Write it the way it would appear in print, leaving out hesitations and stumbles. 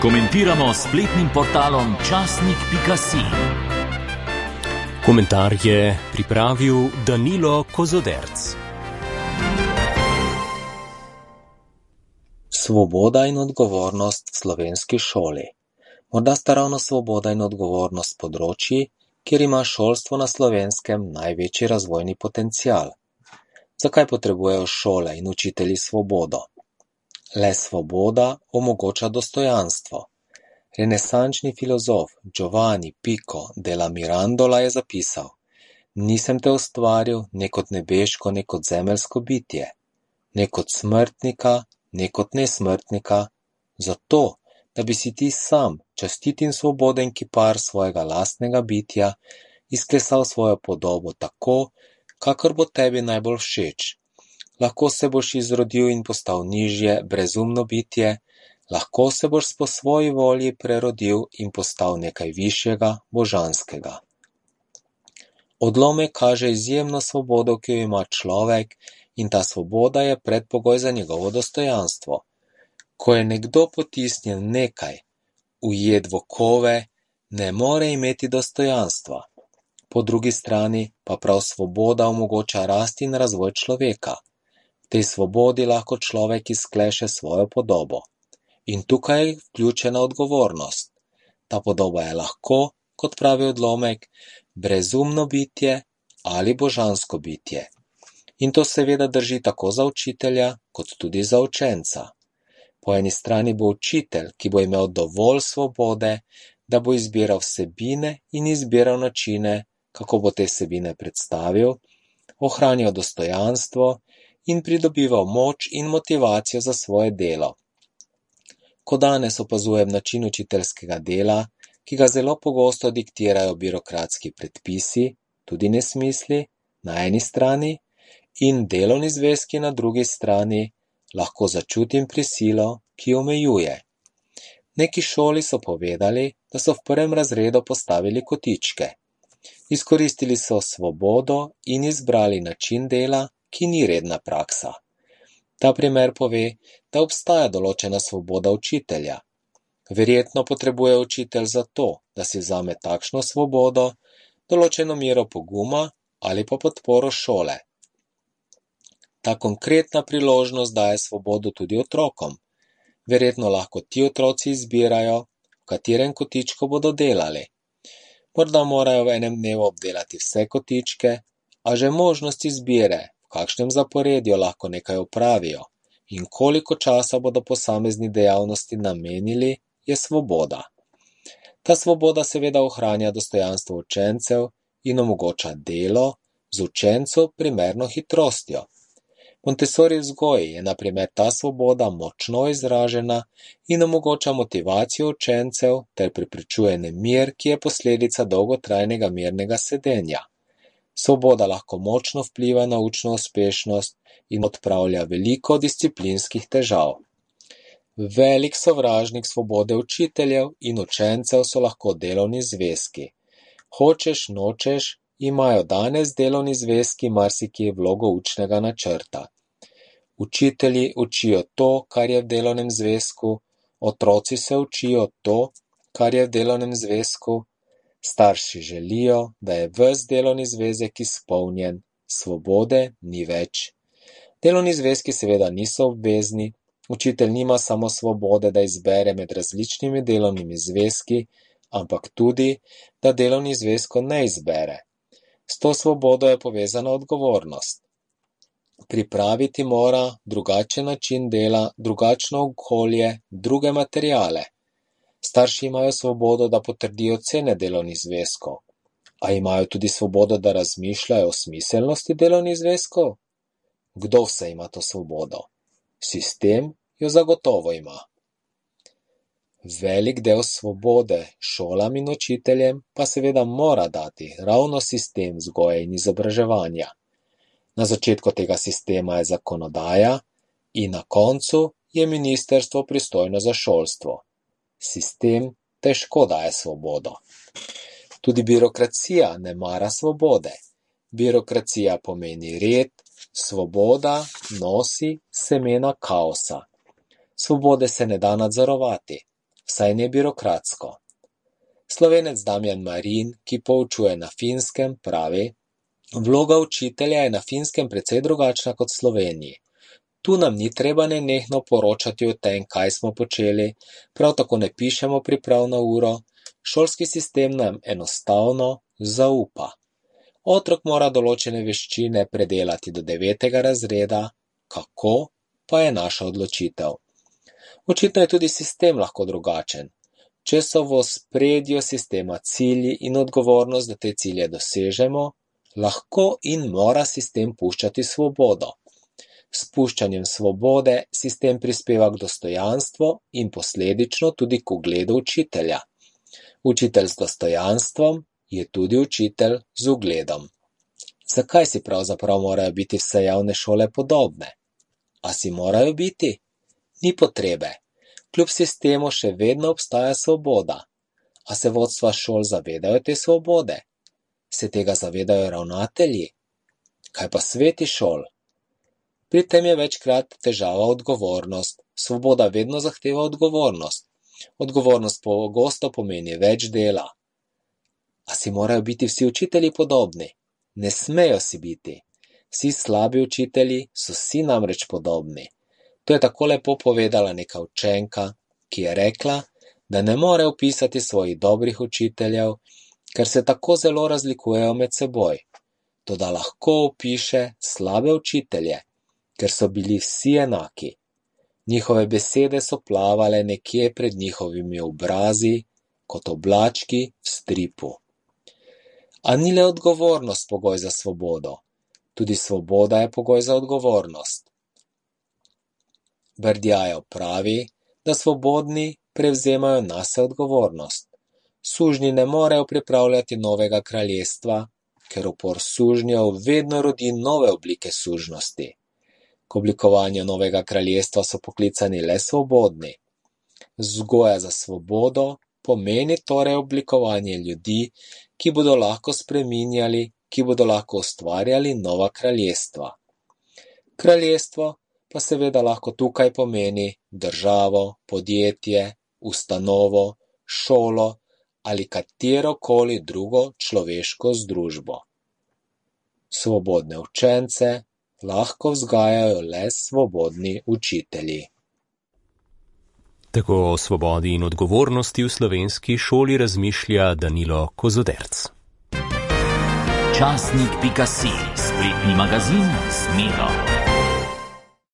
Komentiramo s spletnim portalom časnik.si. Komentar je pripravil Danilo Kozoderc. Svoboda in odgovornost v slovenski šoli. Morda sta ravno svoboda in odgovornost področji, kjer ima šolstvo na Slovenskem največji razvojni potencial. Zakaj potrebujejo šole in učitelji svobodo? Le svoboda omogoča dostojanstvo. Renesančni filozof Giovanni Pico della Mirandola je zapisal: Nisem te ustvaril ne kot nebeško, ne kot zemeljsko bitje, ne kot smrtnika, ne kot nesmrtnika, zato, da bi si ti sam, častit in svoboden kipar svojega lastnega bitja, izklesal svojo podobo tako, kakor bo tebi najbolj všeč. Lahko se boš izrodil in postal nižje, brezumno bitje, lahko se boš po svoji volji prerodil in postal nekaj višjega, božanskega. Odlomek kaže izjemno svobodo, ki jo ima človek, in ta svoboda je predpogoj za njegovo dostojanstvo. Ko je nekdo potisnjen nekaj, ujet v okove, ne more imeti dostojanstva. Po drugi strani pa prav svoboda omogoča rast in razvoj človeka. V tej svobodi lahko človek izkleše svojo podobo. In tukaj je vključena odgovornost. Ta podoba je lahko, kot pravi odlomek, brezumno bitje ali božansko bitje. In to seveda drži tako za učitelja, kot tudi za učenca. Po eni strani bo učitelj, ki bo imel dovolj svobode, da bo izbiral vsebine in izbiral načine, kako bo te vsebine predstavil, ohranjal dostojanstvo in pridobival moč in motivacijo za svoje delo. Ko danes opazujem način učiteljskega dela, ki ga zelo pogosto diktirajo birokratski predpisi, tudi nesmisli, na eni strani, in delovni zvezki na drugi strani, lahko začutim prisilo, ki omejuje. Neki šoli so povedali, da so v prvem razredu postavili kotičke. Izkoristili so svobodo in izbrali način dela, ki ni redna praksa. Ta primer pove, da obstaja določena svoboda učitelja. Verjetno potrebuje učitelj za to, da si vzame takšno svobodo, določeno mero poguma ali pa podporo šole. Ta konkretna priložnost daje svobodo tudi otrokom. Verjetno lahko ti otroci izbirajo, v katerem kotičku bodo delali. Morda morajo v enem dnevu obdelati vse kotičke, a že možnost izbire, v kakšnem zaporedju lahko nekaj opravijo in koliko časa bodo posamezni dejavnosti namenili, je svoboda. Ta svoboda seveda ohranja dostojanstvo učencev in omogoča delo z učencu primerno hitrostjo. Montessori vzgoji je na primer ta svoboda močno izražena in omogoča motivacijo učencev ter preprečuje nemir, ki je posledica dolgotrajnega mirnega sedenja. Svoboda lahko močno vpliva na učno uspešnost in odpravlja veliko disciplinskih težav. Velik sovražnik svobode učiteljev in učencev so lahko delovni zvezki. Hočeš, nočeš, imajo danes delovni zvezki marsikje vlogo učnega načrta. Učitelji učijo to, kar je v delovnem zvezku, otroci se učijo to, kar je v delovnem zvezku, starši želijo, da je ves delovni zvezek izpolnjen, svobode ni več. Delovni zvezki seveda niso obvezni, učitelj nima samo svobode, da izbere med različnimi delovnimi zvezki, ampak tudi, da delovni zvezko ne izbere. S to svobodo je povezana odgovornost. Pripraviti mora drugačen način dela, drugačno okolje, druge materiale. Starši imajo svobodo, da potrdijo cene delovnih zvezkov, a imajo tudi svobodo, da razmišljajo o smiselnosti delovnih zvezkov? Kdo vse ima to svobodo? Sistem jo zagotovo ima. Velik del svobode šolam in učiteljem pa seveda mora dati ravno sistem vzgoje in izobraževanja. Na začetku tega sistema je zakonodaja in na koncu je ministrstvo pristojno za šolstvo. Sistem težko daje svobodo. Tudi birokracija ne mara svobode. Birokracija pomeni red, svoboda nosi semena kaosa. Svobode se ne da nadzorovati. vsaj ne birokratsko. Slovenec Damjan Marin, ki poučuje na Finskem, pravi: vloga učitelja je na Finskem precej drugačna kot v Sloveniji. Tu nam ni treba nenehno poročati o tem, kaj smo počeli, prav tako ne pišemo priprav na uro, šolski sistem nam enostavno zaupa. Otrok mora določene veščine predelati do 9. razreda, kako pa je naša odločitev. Očitno je tudi sistem lahko drugačen. Če so v ospredju sistema cilji in odgovornost, da te cilje dosežemo, lahko in mora sistem puščati svobodo. S puščanjem svobode sistem prispeva k dostojanstvu in posledično tudi k ugledu učitelja. Učitelj z dostojanstvom je tudi učitelj z ugledom. Zakaj si pravzaprav morajo biti vse javne šole podobne? A si morajo biti? Ni potrebe. Kljub sistemu še vedno obstaja svoboda. A se vodstva šol zavedajo te svobode? Se tega zavedajo ravnatelji? Kaj pa sveti šol? Pri tem je večkrat težava odgovornost. Svoboda vedno zahteva odgovornost. Odgovornost pogosto pomeni več dela. A si morajo biti vsi učitelji podobni? Ne smejo si biti. Vsi slabi učitelji so si namreč podobni. To je tako lepo povedala neka učenka, ki je rekla, da ne more opisati svojih dobrih učiteljev, ker se tako zelo razlikujejo med seboj. Toda lahko opiše slabe učitelje, ker so bili vsi enaki. Njihove besede so plavale nekje pred njihovimi obrazi, kot oblački v stripu. A ni le odgovornost pogoj za svobodo. Tudi svoboda je pogoj za odgovornost. Berdjajev pravi, da svobodni prevzemajo nase odgovornost. Sužnji ne morejo pripravljati novega kraljestva, ker upor sužnjev vedno rodi nove oblike sužnosti. K oblikovanju novega kraljestva so poklicani le svobodni. Vzgoja za svobodo pomeni torej oblikovanje ljudi, ki bodo lahko spreminjali, ki bodo lahko ustvarjali nova kraljestva. Kraljestvo pa seveda lahko tukaj pomeni državo, podjetje, ustanovo, šolo ali katerokoli drugo človeško združbo. Svobodne učence lahko vzgajajo le svobodni učitelji. Tako o svobodi in odgovornosti v slovenski šoli razmišlja Danilo Kozoderc. Časnik.si, spletni magazin Smelo.